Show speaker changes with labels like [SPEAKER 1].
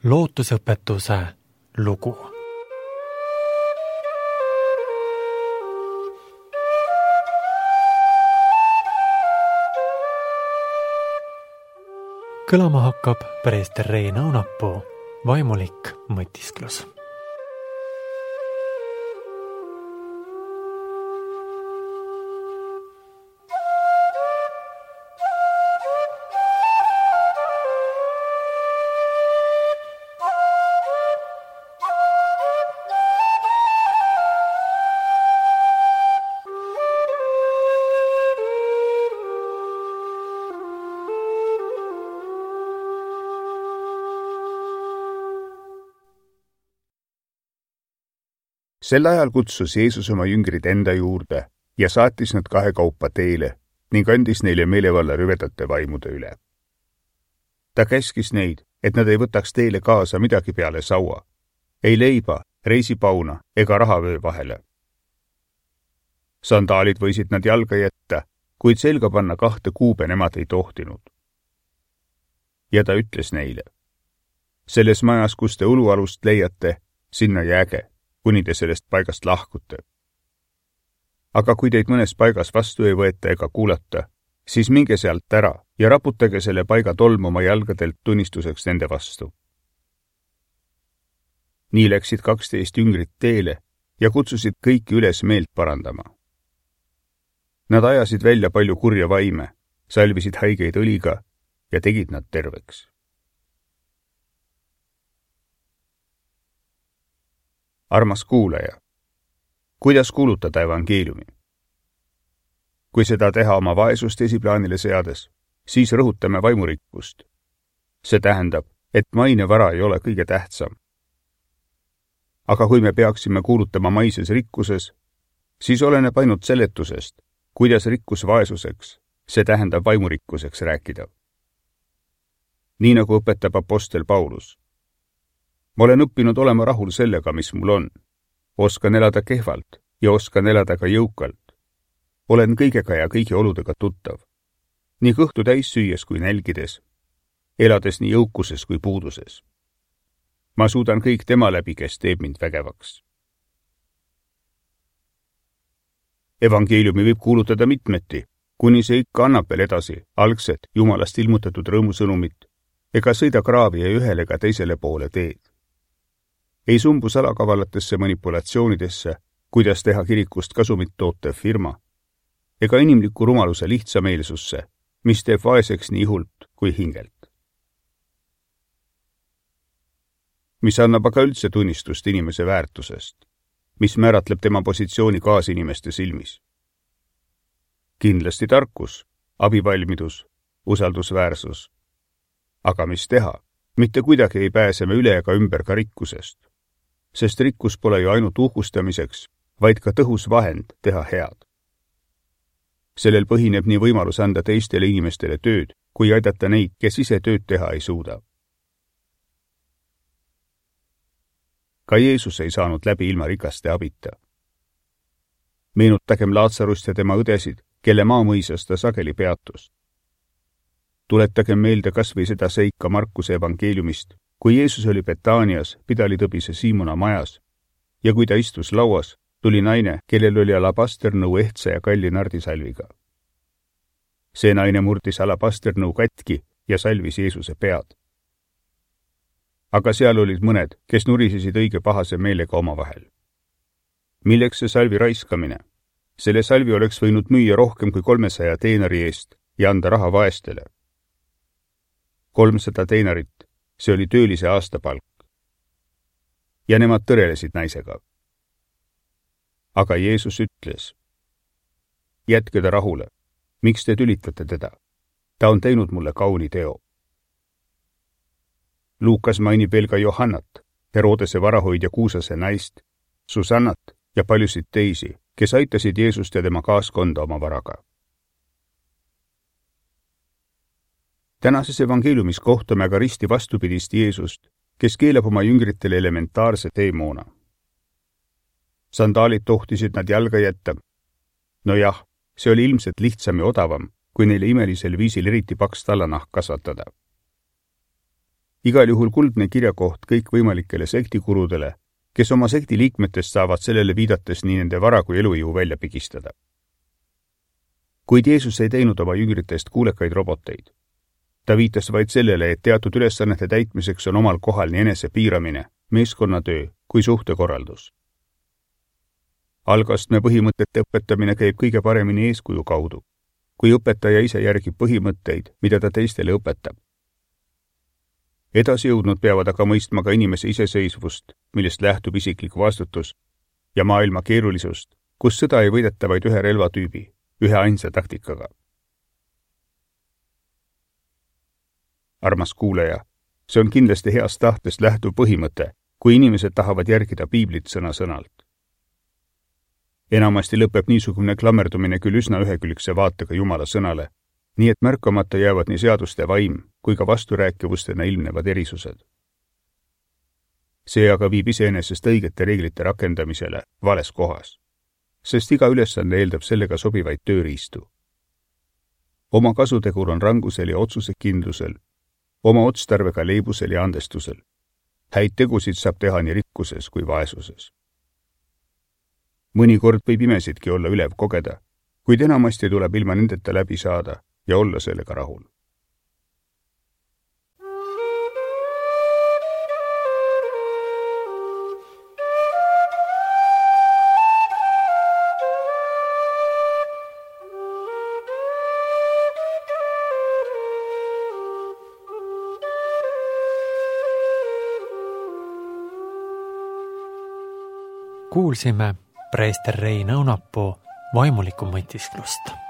[SPEAKER 1] lootusõpetuse lugu. Kõlama hakkab preester Rein Aunapuu vaimulik mõtisklus.
[SPEAKER 2] Sel ajal kutsus Jeesus oma jüngrid enda juurde ja saatis nad kahekaupa teele ning andis neile meelevalla rüvedate vaimude üle. Ta käskis neid, et nad ei võtaks teele kaasa midagi peale saua, ei leiba, reisipauna ega rahavöö vahele. Sandaalid võisid nad jalga jätta, kuid selga panna 2 kuube nemad ei tohtinud. Ja ta ütles neile: selles majas, kus te ulualust leiate, sinna jääge, kuni te sellest paigast lahkute. Aga kui teid mõnes paigas vastu ei võeta ega kuulata, siis minge sealt ära ja raputage selle paiga tolm oma jalgadelt tunnistuseks nende vastu. Nii läksid 12 jüngrit teele ja kutsusid kõiki üles meelt parandama. Nad ajasid välja palju kurja vaime, salvisid haigeid õliga ja tegid nad terveks. Armas kuulaja, kuidas kuulutada evangeeliumi? Kui seda teha oma vaesust esiplaanile seades, siis rõhutame vaimurikkust. See tähendab, et maine vara ei ole kõige tähtsam. Aga kui me peaksime kuulutama maises rikkuses, siis oleneb ainult seletusest, kuidas rikkus vaesuseks, see tähendab vaimurikkuseks rääkida. Nii nagu õpetab apostel Paulus. Ma olen õppinud olema rahul sellega, mis mul on. Oskan elada kehvalt ja oskan elada ka jõukalt. Olen kõigega ja kõigi oludega tuttav. Nii kõhtu täis süües kui nälgides. Elades nii jõukuses kui puuduses. Ma suudan kõik tema läbi, kes teeb mind vägevaks. Evangeeliumi võib kuulutada mitmeti, kuni see ikka annab veel edasi algset Jumalast ilmutatud rõõmusõnumit ega sõida kraavi ei ühele ega teisele poole teed. Ei sumbu salakavalatesse manipulatsioonidesse, kuidas teha kirikust kasumit tootev firma, ega inimliku rumaluse lihtsameelsusse, mis teeb vaeseks nii ihult kui hingelt. Mis annab aga üldse tunnistust inimese väärtusest, mis määratleb tema positsiooni kaasinimeste silmis. Kindlasti tarkus, abivalmidus, usaldusväärsus. Aga mis teha? Mitte kuidagi ei pääse me üle ega ümber ka rikkusest. Sest rikkus pole ju ainult uhkustamiseks, vaid ka tõhus vahend teha head. Sellel põhineb nii võimalus anda teistele inimestele tööd, kui aidata neid, kes ise tööd teha ei suuda. Ka Jeesus ei saanud läbi ilma rikaste abita. Meenutagem Laatsarust ja tema õdesid, kelle maamõisas ta sageli peatus. Tuletagem meelde kas või seda seika Markuse evangeeliumist, kui Jeesus oli Betaanias pidalitõbise Siimona majas ja kui ta istus lauas, tuli naine, kellel oli alabasternõu ehtsa ja kalli nardisalviga. See naine murdis alabasternõu katki ja salvis Jeesuse pead. Aga seal olid mõned, kes nurisesid õige pahase meelega omavahel. Milleks see salvi raiskamine? Selle salvi oleks võinud müüa rohkem kui 300 teenari eest ja anda raha vaestele. 300 teinarit, see oli töölise aastapalk. Ja nemad tõrelesid naisega. Aga Jeesus ütles: jätke ta rahule, miks te tülitate teda? Ta on teinud mulle kauni teo. Luukas mainib veel ka Johannat, Herodese varahoidja Kuusase naist, Susannat ja paljusid teisi, kes aitasid Jeesust ja tema kaaskonda oma varaga. Tänases evangeeliumis kohtame aga risti vastupidist Jeesust, kes keelab oma jüngritele elementaarse teemoona. Sandaalid tohtisid nad jalga jätta. No jah, see oli ilmselt lihtsam ja odavam, kui neile imelisel viisil eriti paks tallanahk kasvatada. igal juhul kuldne kirjakoht kõikvõimalikele sektikurudele, kes oma sekti liikmetest saavad sellele viidates nii nende vara kui elujõu välja pigistada. Kuid Jeesus ei teinud oma jüngritest kuulekaid roboteid. Ta viitas vaid sellele, et teatud ülesannete täitmiseks on omal kohal nii enese piiramine, meeskonnatöö kui suhtekorraldus. Algastme põhimõtete õpetamine käib kõige paremini eeskuju kaudu, kui õpetaja ise järgib põhimõtteid, mida ta teistele õpetab. Edasijõudnud peavad aga mõistma ka inimese iseseisvust, millest lähtub isiklik vastutus, ja maailma keerulisust, kus sõda ei võideta vaid ühe relvatüübi, ühe ainsa taktikaga. Armas kuulaja, see on kindlasti heast tahtest lähtuv põhimõte, kui inimesed tahavad järgida piiblit sõna-sõnalt. Enamasti lõpeb niisugune klammerdumine küll üsna ühekülgse vaatega Jumala sõnale, nii et märkamata jäävad nii seaduste vaim kui ka vasturääkivustena ilmnevad erisused. See aga viib iseenesest õigete reeglite rakendamisele vales kohas, sest iga ülesande eeldab sellega sobivaid tööriistu. Oma kasutegur on rangusel ja otsusekindlusel, oma otstarbega leibusel ja andestusel. Häid tegusid saab teha nii rikkuses kui vaesuses. Mõnikord võib imesidki olla ülev kogeda, kuid enamasti tuleb ilma nendeta läbi saada ja olla sellega rahul.
[SPEAKER 1] Kuulsime preester Rein Õunapuu vaimulikku mõtisklust.